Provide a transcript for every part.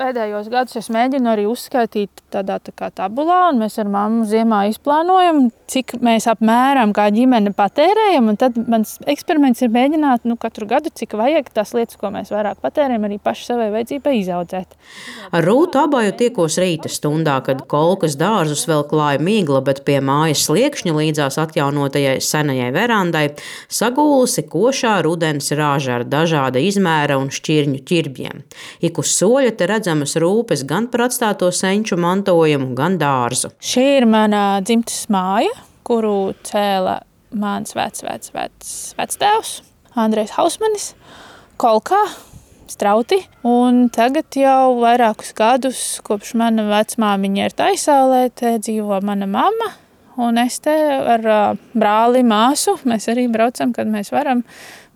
pēdējos gadus es mēģinu arī uzskaitīt tādā tā kā tabulā, un mēs ar mammu ziemā izplānojam, cik mēs apmēram kā ģimene patērējam, un tad mans eksperiments ir mēģināt katru gadu, cik vajag tās lietas, ko mēs vairāk patērējam, arī paši savai vajadzībai izaudzēt. Ar Rūtu Abaju tiekos rīta stundā, kad kolkas dārzus vēl klāja migla, bet pie mājas sliekšņa līdzās atjaunotajai senajai verandai sagūlusi košā rudens rāža ar dažāda izmēra un šķirņu ķirbjiem. Ik uz soļa te redzamas rūpes gan par atstāto senču mantojumu, gan dārzu. Šī ir mana dzimtes māja, kuru cēla mans vectēvs Andrejs Hausmanis, Kolkā, Strauti. Un tagad jau vairākus gadus, kopš mana vecmāmiņa ir Taisaulē, te dzīvo mana mamma. Un es te ar brāli, māsu, mēs arī braucam, kad mēs varam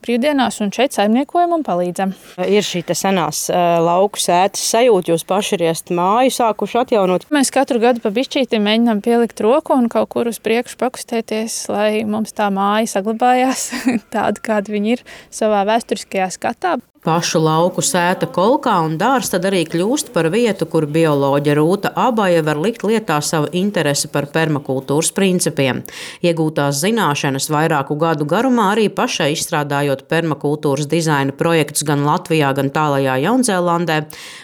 brīvdienās un šeit saimniekojam un palīdzam. Ir šī senās lauku sētas sajūta, jūs paši ir māju sākuši atjaunot. Mēs katru gadu pa bišķīti mēģinām pielikt roku un kaut kur uz priekšu pakustēties, lai mums tā māja saglabājās tāda, kāda viņa ir savā vēsturiskajā skatā. Pašu lauku sēta Kolkā un dārs tad arī kļūst par vietu, kur bioloģe Rūta Abaja var likt lietā savu interesi par permakultūras principiem. Iegūtās zināšanas vairāku gadu garumā arī pašai izstrādājot permakultūras dizaina projektus gan Latvijā, gan tālajā Jaunzēlandē,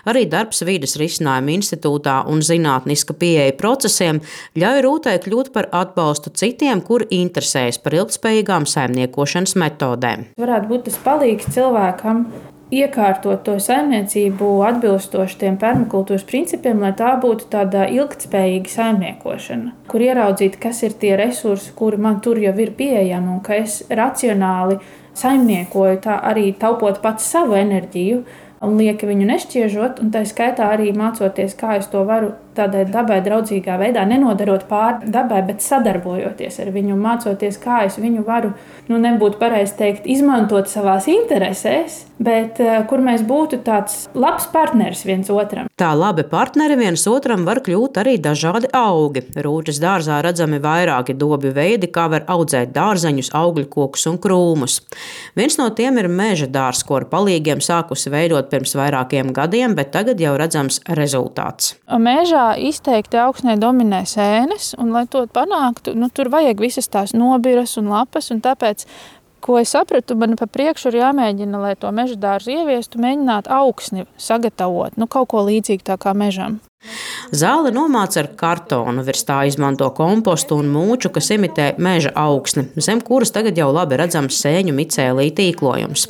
arī darbs Vides risinājumu institūtā un zinātniska pieeja procesiem ļauj Rūtai kļūt par atbalstu citiem, kuri interesējas par ilgtspējīgām saimniekošanas metodēm. Varētu būt tas palīgs cilvēkam iekārtot to saimniecību atbilstoši tiem permakultūras principiem, lai tā būtu tāda ilgtspējīga saimniekošana, kur ieraudzīt, kas ir tie resursi, kuri man tur jau ir pieejami, un ka es racionāli saimniekoju, tā arī taupot pats savu enerģiju un lieki viņu nešķiežot, un tā skaitā arī mācoties, kā es to varu tādā dabai draudzīgā veidā, nenodarot pāri dabai, bet sadarbojoties ar viņu, mācoties, kā es viņu varu, nebūtu pareizi teikt, izmantot savās interesēs, bet kur mēs būtu tāds labs partneris viens otram. Tā labi partneri viens otram var kļūt arī dažādi augi. Rūtas dārzā redzami vairāki dobju veidi, kā var audzēt dārzeņus, augļu kokus un krūmus. Viens no tiem ir meža dārs, ko ar palīgiem sākusi veidot pirms vairākiem gadiem, bet tagad jau redzams rezultāts. Mežā izteikti augsnē dominē sēnes, un lai to panāktu, tur vajag visas tās nobiras un lapas, un tāpēc, ko es sapratu, man pa priekšu ir jāmēģina, lai to meža dārzu ieviestu, mēģināt augsni sagatavot, kaut ko līdzīgu tā kā mežam. Zāle nomāca ar kartonu, virs tā izmanto kompostu un mūču, kas imitē meža augsni, zem kuras tagad jau labi redzams sēņu micēlī tīklojums.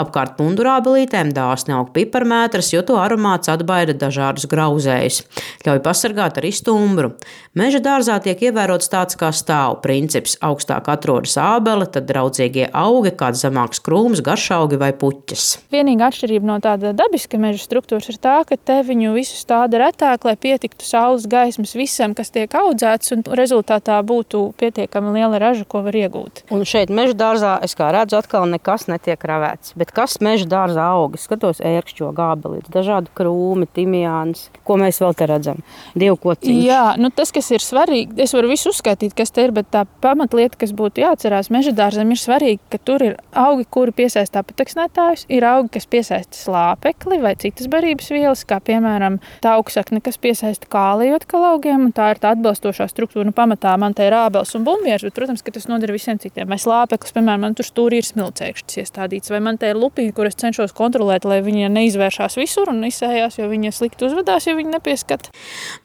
Apkārt pundurābelītēm dāsni aug piparmētras, jo to aromāts atbaida dažādus grauzējus. Ļauj pasargāt arī stumbru. Meža dārzā tiek ievērots tāds kā stāvu princips. Augstāk atrodas ābele, tad draudzīgie augi, kāds zemāks krūms, garšaugi vai puķes. Vienīga atšķirība no tāda dabiska meža struktūras ir tā, ka te viņu visu stāda retāk, lai pietiktu saules gaismas visam, kas tiek audzēts, un rezultātā būtu pietiekami liela raža, ko var iegūt. Un šeit meža dārzā, es kā redzu, atkal nekas netiek ravēts. Bet kas meža dārzā aug? Es skatos ērkšķo gābelītes, dažādi krūmi, timjāns. Ko mēs vēl te redzam? Dievkociņš. Jā, tas, kas ir svarīgi, es varu visu uzskaitīt, kas te ir, bet tā pamatlieta, kas būtu jāatcerās meža dārzam, ir svarīgi, ka tur ir augi, kuri piesaista apateksnētājus, ir augi, kas piesaista slāpekli vai citas barības vielas, kā piemēram tauksakne, kas piesaista kāliju atkal augiem, un tā ir tā atbilstošā struktūra. Pamatā man te ir ābeles un bumbieris, bet, protams, ka tas noder visiem citiem. Vai slāpeklis, piemēram, man tur stūrī ir smilcēkšķis iestādīts, vai man te ir lupīņi, kur es cenšos kontrolēt, lai viņi neizvēršās visur un izsējās, jo viņi slikti uzvedās, ja viņi nepieskata.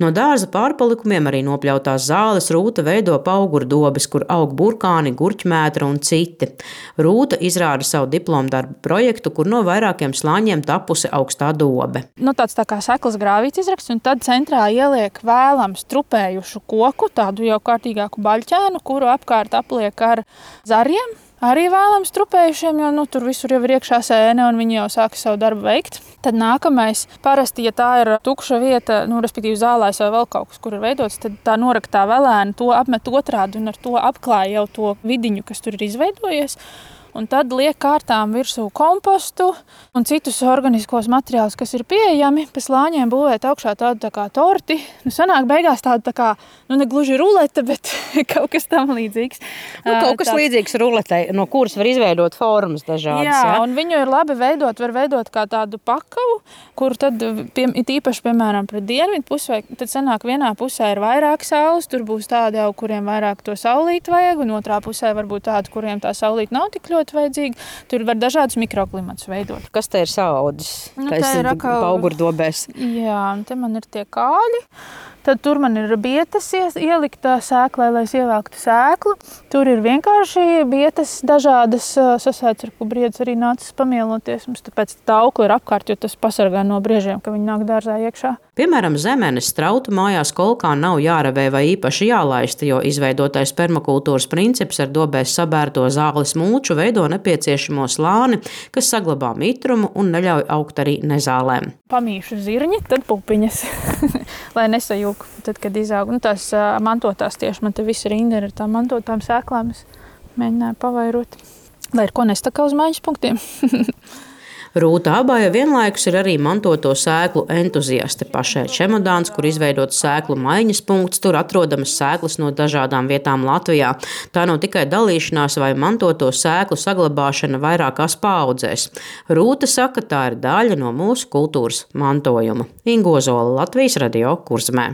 No dārza pārpalikumiem arī nopļautās zāles Rūta veido paugurdobes, kur aug burkāni, gurķmētra un citi. Rūta izrāda savu diplomdarbu projektu, kur no vairākiem slāņiem tapusi augstā dobe. Tāds tā kā seklas grāvīts izraksts, un tad centrā ieliek vēlams trupējušu koku, tādu jau kārtīgāku baļķēnu, kuru apkārt apliek ar zariem. Arī vēlams trupējušiem, jo tur visur jau ir iekšā sēne un viņi jau sāka savu darbu veikt. Tad nākamais, parasti, ja tā ir tukša vieta, respektīvi zālēs vai vēl kaut kas, kur ir veidots, tad tā noraktā velēna to apmet otrādi un ar to apklāja jau to vidiņu, kas tur ir izveidojies. un tad liek kārtām virsū kompostu un citus organiskos materiālus, kas ir pieejami. Pa slāņiem būvēt augšā tādu tā kā torti. Sanāk beigās tādu tā kā, ne gluži rulete, bet kaut kas tam līdzīgs. Kaut kas līdzīgs ruletei, no kuras var izveidot formas dažādas. Jā, un viņu ir labi veidot, var veidot kā tādu pakavu, kur tad īpaši, piemēram, pret dienvidu pusi, vai tad sanāk vienā pusē ir vairāk saules, tur būs tādi jau, kuriem vairāk to saulīt vajag, un otrā pusē varbūt tādi, kuriem tā saulīt nav tik ļoti vajadzīga. Tur var dažādus mikroklimatus veidot. Kas te ir saudis? Te ir augurdobēs. Jā, un te man ir tie kāļi. Tad tur man ir bietas ielikta sēklē, lai es ievelktu sēklu. Tur ir vienkārši bietas dažādas sasēts, ar ko briedis arī nācis pamieloties. Mums tāpēc tā aukla ir apkārt, jo tas pasargā no briežiem, ka viņi nāk dārzā iekšā. Piemēram, zemenes strautu mājās kolkā nav jāravē vai īpaši jālaista, jo izveidotais permakultūras princips ar dobēs sabērto zāles mulču veido nepieciešamo slāni, kas saglabā mitrumu un neļauj augt arī nezālēm. Pamīšu zirņi, tad pupiņas, lai nesajūk, tad, kad izaug. Tās mantotās tieši, man te visa rinda ir ar tām mantotām sēklām, es mēģināju pavairot, lai ir ko nestakā uz mājas punktiem. Rūta Abaja vienlaikus ir arī mantoto sēklu entuziaste. Pašai čemodāns, kur izveidots sēklu maiņas punkts, tur atrodamas sēklas no dažādām vietām Latvijā. Tā nav tikai dalīšanās vai mantoto sēklu saglabāšana vairākās paaudzēs. Rūta saka, tā ir daļa no mūsu kultūras mantojuma. Inga Ozola, Latvijas Radio, Kurzemē.